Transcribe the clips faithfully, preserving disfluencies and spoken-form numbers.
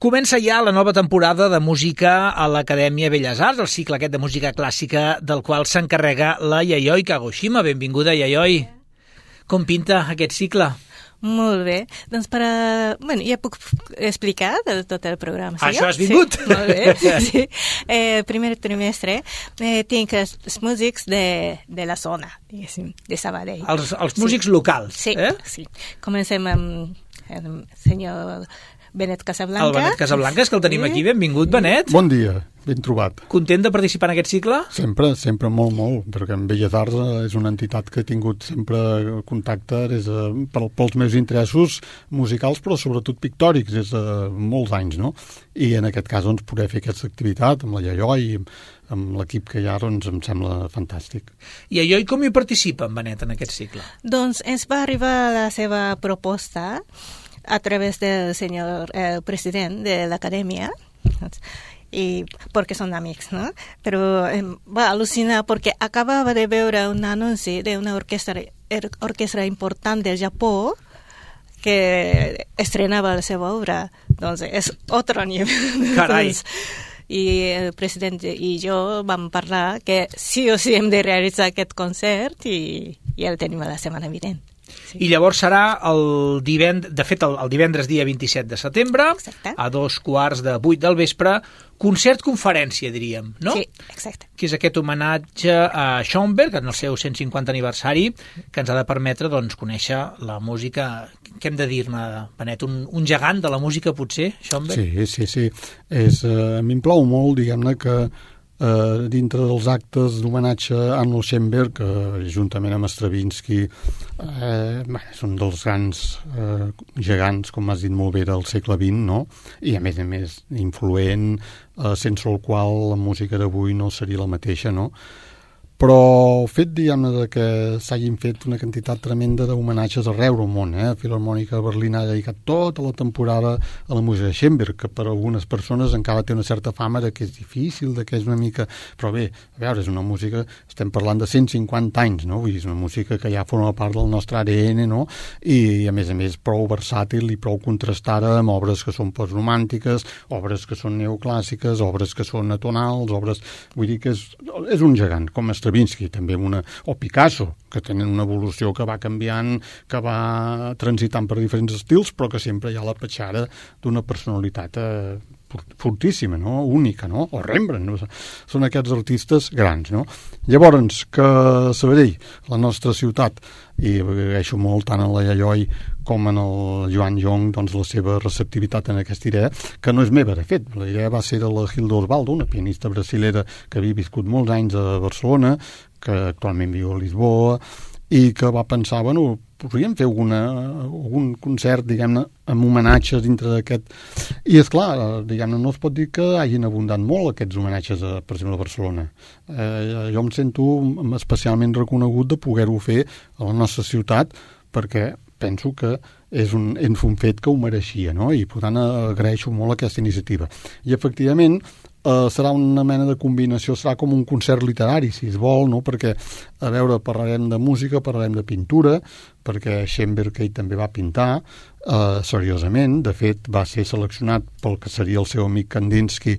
Comença ja la nova temporada de música a l'Acadèmia Belles Arts, el cicle aquest de música clàssica del qual s'encarrega la Yayoi Kagoshima. Benvinguda, Yayoi. Com pinta aquest cicle? Molt bé. Doncs per a... Bueno, ja puc explicar de tot el programa. Sí, Això has vingut? Sí, molt bé. Sí. Eh, primer trimestre eh, tinc els, els músics de, de la zona, diguéssim, de Sabadell. Els, els músics sí. locals, sí, eh? Sí. Comencem amb el senyor Benet Casablanca. El Benet Casablanca, és que el tenim sí. aquí. Benvingut, Benet. Bon dia, ben trobat. Content de participar en aquest cicle? Sempre, sempre molt, molt, perquè en Belles Arts és una entitat que he tingut sempre contacte des de, per, pels meus interessos musicals, però sobretot pictòrics, des de molts anys, no? I en aquest cas, doncs, poder fer aquesta activitat amb la Yayoi i amb l'equip que hi ha, doncs, em sembla fantàstic. I Yayoi, com hi participa, en Benet, en aquest cicle? Doncs ens va arribar la seva proposta a través del señor eh, presidente de la academia, y porque son amigos, ¿no? Pero eh, va a alucinar porque acababa de ver un anuncio de una orquesta, orquesta importante del Japón que estrenaba la seva obra. Entonces, es otro nivel. Carai. Entonces, i el president i jo vam parlar que sí o sí hem de realitzar aquest concert i, i el tenim la setmana vinent. Sí. I llavors serà el divendres, de fet el, el divendres dia vint-i-set de setembre, exacte. A dos quarts de vuit del vespre, concert-conferència, diríem, no? Sí, exacte. Que és aquest homenatge a Schoenberg, en el seu cent cinquanta aniversari, que ens ha de permetre, doncs, conèixer la música, què hem de dir-ne, Benet, un, un gegant de la música, potser, Schoenberg? Sí, sí, sí. És, uh, a mi em plau molt, diguem-ne, que Uh, dintre dels actes d'homenatge a Arno Schoenberg, uh, juntament amb Stravinsky, uh, bé, és un dels grans uh, gegants, com has dit molt bé, del segle vint, no? I a més a més influent, uh, sense el qual la música d'avui no seria la mateixa, no? Però el fet, diguem-ne, de que s'hagin fet una quantitat tremenda d'homenatges arreu del món, eh? La Filharmònica de Berlín ha dedicat tota la temporada a la música de Schoenberg, que per a algunes persones encara té una certa fama de que és difícil, de que és una mica... Però bé, a veure, és una música... Estem parlant de cent cinquanta anys, no? Vull dir, és una música que ja forma part del nostre A D N, no? I, a més a més, prou versàtil i prou contrastada amb obres que són postromàntiques, obres que són neoclàssiques, obres que són atonals, obres... Vull dir que és, és un gegant, com a Stravinsky, també una, o Picasso, que tenen una evolució que va canviant, que va transitant per diferents estils, però que sempre hi ha la petjada d'una personalitat eh, fortíssima, no? Única, no? O Rembrandt, no? Són aquests artistes grans, no? Llavors, que Sabadell, la nostra ciutat, i agraeixo molt tant a la Yayoi com en el Joan Jong, doncs, la seva receptivitat en aquesta idea, que no és meva, de fet. La idea va ser de la Hilda Osvaldo, una pianista brasilera que havia viscut molts anys a Barcelona, que actualment viu a Lisboa, i que va pensar, bueno, podríem fer alguna, algun concert, diguem-ne, amb homenatges dintre d'aquest... I, esclar, diguem-ne, no es pot dir que hagin abundat molt aquests homenatges, a, per exemple, a Barcelona. Eh, jo em sento especialment reconegut de poder-ho fer a la nostra ciutat, perquè penso que és un, és un fet que ho mereixia, no? I, per tant, agraeixo molt aquesta iniciativa. I, efectivament, Uh, serà una mena de combinació, serà com un concert literari, si es vol, no? Perquè, a veure, parlarem de música, parlarem de pintura, perquè Schoenberg ell també va pintar, uh, seriosament, de fet va ser seleccionat pel que seria el seu amic Kandinsky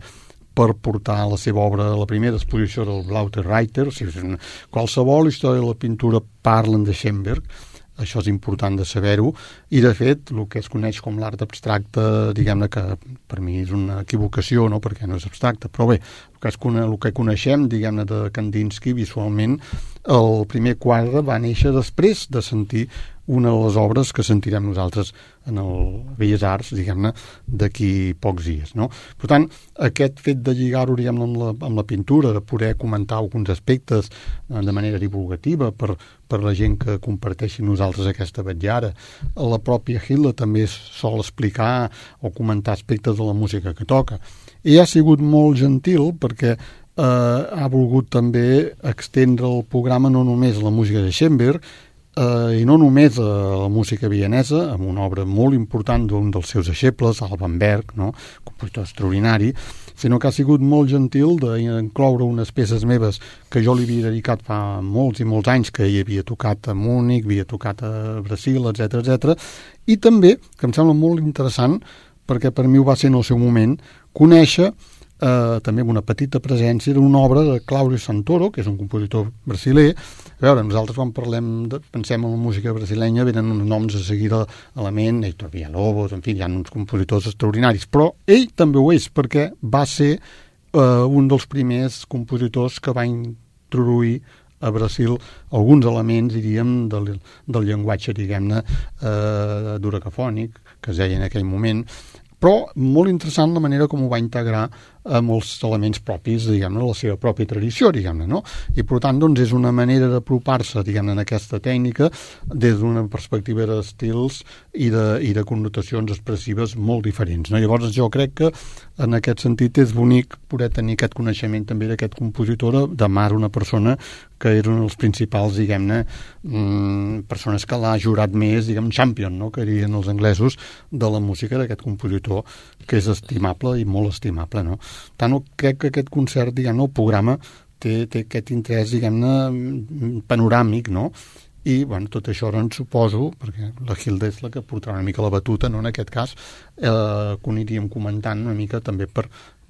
per portar la seva obra a la primera exposició del Blaute Reiter, o sigui, una, qualsevol història de la pintura parlen de Schoenberg. Això és important de saber-ho, i de fet el que es coneix com l'art abstracte, diguem-ne que per mi és una equivocació, no? Perquè no és abstracte, però bé, el que, es cone- el que coneixem, diguem-ne, de Kandinsky visualment, el primer quadre va néixer després de sentir una de les obres que sentirem nosaltres en el Belles Arts, diguem-ne, d'aquí pocs dies, no? Per tant, aquest fet de lligar-ho, diguem-ne, amb, la, amb la pintura, de poder comentar alguns aspectes de manera divulgativa per, per la gent que comparteixi nosaltres aquesta vetllada. La pròpia Hilda també sol explicar o comentar aspectes de la música que toca. I ha sigut molt gentil perquè eh, ha volgut també extendre el programa no només a la música de Schoenberg, eh, i no només a la música vienesa, amb una obra molt important d'un dels seus deixebles, Alban Berg, no? Compositor extraordinari, sinó que ha sigut molt gentil d'incloure unes peces meves que jo li havia dedicat fa molts i molts anys, que hi havia tocat a Múnich, havia tocat a Brasil, etcètera, etcètera, i també, que em sembla molt interessant, perquè per mi ho va ser en el seu moment, conèixer eh, també amb una petita presència era una obra de Claudio Santoro, que és un compositor brasiler. A veure, nosaltres quan parlem de, pensem en la música brasilenya, venen uns noms a seguir a la ment, Heitor Villalobos, en fi, hi ha uns compositors extraordinaris, però ell també ho és, perquè va ser eh, un dels primers compositors que va introduir a Brasil alguns elements, diríem, del, del llenguatge, diguem-ne, eh, duracafònic, que es deia en aquell moment, però molt interessant la manera com ho va integrar amb els elements propis, diguem-ne, de la seva pròpia tradició, diguem-ne, no? I, per tant, doncs, és una manera d'apropar-se, diguem-ne, en aquesta tècnica des d'una perspectiva d'estils i de, i de connotacions expressives molt diferents, no? Llavors, jo crec que, en aquest sentit, és bonic poder tenir aquest coneixement també d'aquest compositor, de Mar, una persona que és un dels principals, diguem-ne, mmm, persones que l'ha jurat més, diguem, champion, no?, que dirien els anglesos, de la música d'aquest compositor, que és estimable i molt estimable, no? Tant crec que aquest concert, diguem-ne, el programa té, té aquest interès, diguem-ne, panoràmic, no? I, bueno, tot això, doncs, suposo, perquè la Hilda és la que portarà una mica la batuta, no?, en aquest cas, eh, que ho aniríem comentant una mica també per,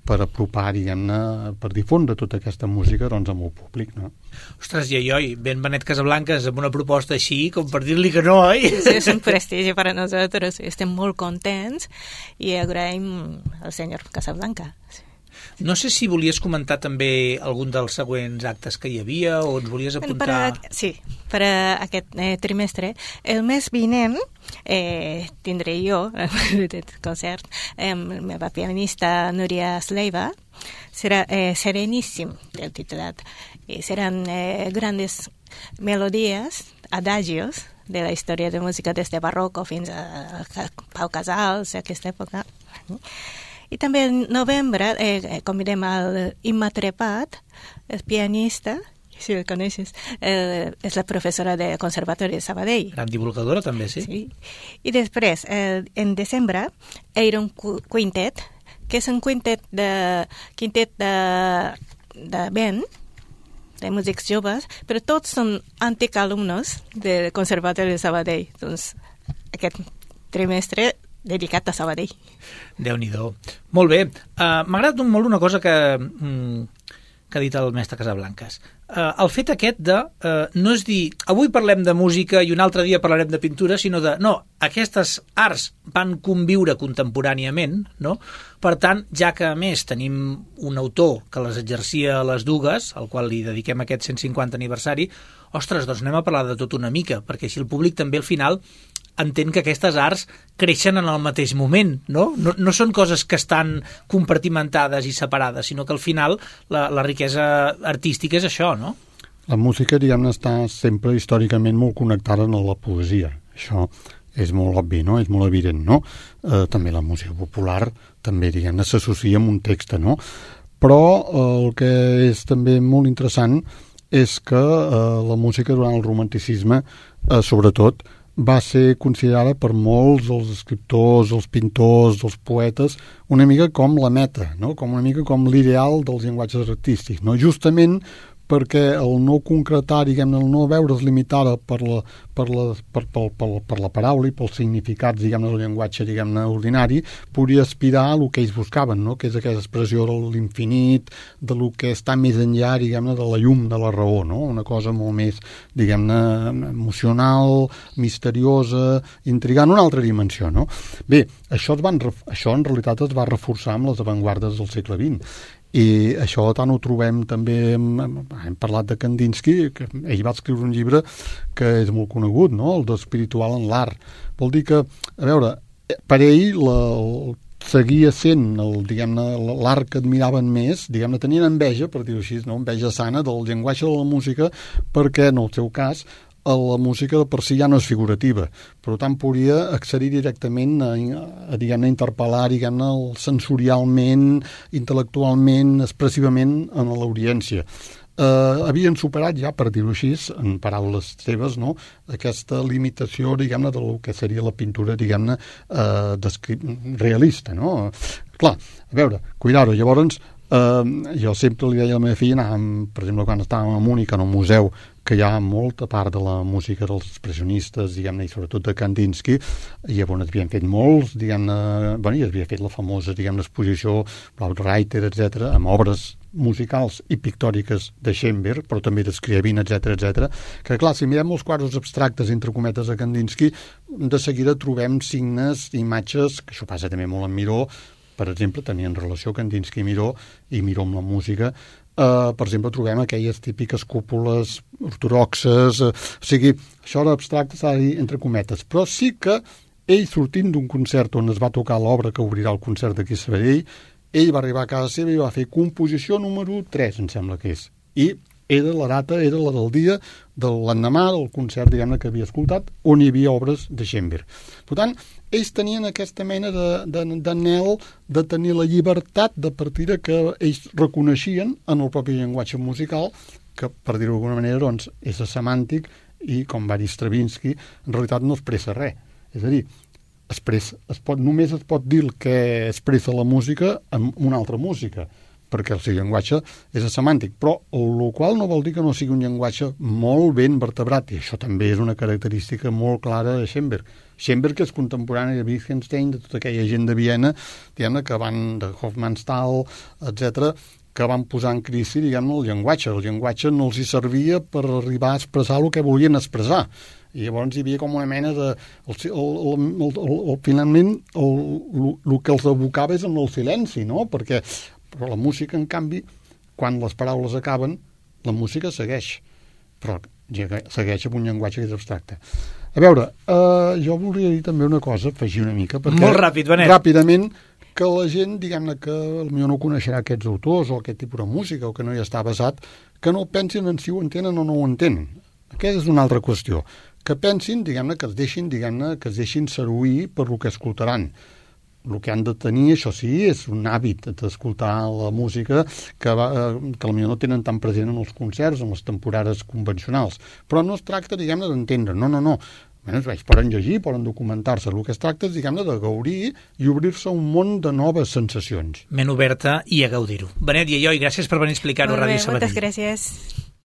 per apropar, diguem-ne, per difondre tota aquesta música, doncs, amb el públic, no? Ostres, i oi, ben Benet Casablancas amb una proposta així, com per dir-li que no, oi? Sí, és un prestigi per a nosaltres, estem molt contents i agraïm al senyor Casablanca. No sé si volies comentar també algun dels següents actes que hi havia o ens volies apuntar... Per a, sí, per a aquest eh, trimestre. El mes vinent eh, tindré jo el concert amb la meva pianista Núria Sleiva. Serà eh, Sereníssim, el titulat. I seran eh, grandes melodies, adagios, de la història de música des de barroco fins a, a Pau Casals, a aquesta època. I també en novembre eh, convidem al Imma Trepat, el pianista, si el coneixes, eh, és la professora de Conservatori de Sabadell. Gran divulgadora també, sí. Sí. I després, eh, en desembre, Iron Quintet, que és un quintet de, quintet de, de vent, de músics joves, però tots són antics alumnes del Conservatori de Sabadell. Doncs aquest trimestre dedicat a Sabadell. Déu-n'hi-do. Molt bé. Uh, M'ha agradat molt una cosa que, mm, que ha dit el mestre Casablancas. Uh, el fet aquest de uh, no és dir avui parlem de música i un altre dia parlarem de pintura, sinó de no, aquestes arts van conviure contemporàniament, no? Per tant, ja que a més tenim un autor que les exercia a les dues, al qual li dediquem aquest cent cinquanta aniversari, ostres, doncs anem a parlar de tot una mica, perquè així el públic també al final entén que aquestes arts creixen en el mateix moment, no? No, no són coses que estan compartimentades i separades, sinó que al final la, la riquesa artística és això, no? La música, diguem-ne, està sempre històricament molt connectada amb la poesia. Això és molt obvi, no? És molt evident, no? Eh, també la música popular també, diguem-ne, s'associa amb un text, no? Però eh, el que és també molt interessant és que eh, la música durant el romanticisme, eh, sobretot, va ser considerada per molts dels escriptors, els pintors, els poetes, una mica com la meta, no? Com una mica com l'ideal dels llenguatges artístics, no? Justament perquè el no concretar, diguem-ne, el no veure's limitada per la, per la, per, per, per, per la paraula i pels significats, diguem-ne, del llenguatge, diguem-ne, ordinari, podia aspirar a el que ells buscaven, no? Que és aquesta expressió de l'infinit, de lo que està més enllà, diguem-ne, de la llum de la raó, no? Una cosa molt més, diguem-ne, emocional, misteriosa, intrigant, una altra dimensió, no? Bé, això, es van, això en realitat es va reforçar amb les avantguardes del segle vint. I això tant ho trobem també, hem, hem parlat de Kandinsky, que ell va escriure un llibre que és molt conegut, no? El d'espiritual en l'art. Vol dir que, a veure, per ell la, el, seguia sent el, diguem-ne, l'art que admiraven més, diguem-ne, tenien enveja, per dir-ho així, no? Enveja sana del llenguatge de la música, perquè en el seu cas la música per si ja no és figurativa, per tant podria accedir directament a, a diguem-ne, interpel·lar, diguem-ne, sensorialment, intel·lectualment, expressivament en l'audiència. Eh, havien superat ja, per dir-ho així, en paraules seves, no?, aquesta limitació, diguem-ne, del que seria la pintura, diguem-ne, eh, realista, no? Clar, a veure, cuidar-ho, llavors Uh, jo sempre li deia a la meva filla, anàvem, per exemple, quan estàvem a Múnich, en un museu, que hi ha molta part de la música dels expressionistes, diguem-ne, i sobretot de Kandinsky, i llavors havien fet molts, diguem-ne, bueno, i havia fet la famosa, diguem-ne, exposició Brautreiter, etcètera, amb obres musicals i pictòriques de Schoenberg, però també d'Scriabin, etcètera, etcètera, que clar, si mirem els quadres abstractes entre cometes de Kandinsky, de seguida trobem signes, imatges, que això passa també molt en Miró, per exemple, tenien relació Kandinsky i Miró, i Miró amb la música. Uh, per exemple, trobem aquelles típiques cúpules ortodoxes, uh, o sigui, això d'abstracte s'ha de dir entre cometes, però sí que ell, sortint d'un concert on es va tocar l'obra que obrirà el concert d'aquí a Sabadell, ell va arribar a casa seva i va fer composició número tres, em sembla que és, i era la data, era la del dia de l'endemà del concert, diguem-ne, que havia escoltat, on hi havia obres de Schoenberg. Per tant, ells tenien aquesta mena d'anhel de, de, de tenir la llibertat de partir que ells reconeixien en el propi llenguatge musical, que, per dir-ho d'alguna manera, doncs, és semàntic i, com va dir Stravinsky, en realitat no expressa res. És a dir, expressa, es pot, només es pot dir el que expressa la música en una altra música, perquè el seu llenguatge és semàntic, però el qual no vol dir que no sigui un llenguatge molt ben vertebrat, i això també és una característica molt clara de Schoenberg. Schoenberg és contemporani de Wittgenstein, de tota aquella gent de Viena, diguem-ne, que van, de Hofmannsthal, etcètera, que van posar en crisi, diguem-ne, el llenguatge. El llenguatge no els hi servia per arribar a expressar el que volien expressar. I llavors hi havia com una mena de... El, el, el, el, el, el, finalment, el, el, el que els abocava és en el silenci, no? Perquè però la música, en canvi, quan les paraules acaben, la música segueix, però segueix amb un llenguatge que és abstracte. A veure, eh, jo volia dir també una cosa, afegir una mica, perquè... Molt ràpid, Benet. Ràpidament, que la gent, diguem-ne, que potser no coneixerà aquests autors o aquest tipus de música o que no hi està basat, que no pensin en si ho entenen o no ho entenen. Aquesta és una altra qüestió. Que pensin, diguem-ne, que es deixin, diguem-ne, que es deixin seduir per lo que escoltaran. El que han de tenir, això sí, és un hàbit d'escoltar la música que, va, que potser no tenen tan present en els concerts, en les temporades convencionals. Però no es tracta, diguem-ne, d'entendre. No, no, no. Bé, ells poden llegir, poden documentar-se. El que es tracta és, diguem-ne, de gaudir i obrir-se un món de noves sensacions. Ment oberta i a gaudir-ho. Benet i Eloi, gràcies per venir a explicar-ho a Ràdio Sabadell. Moltes gràcies.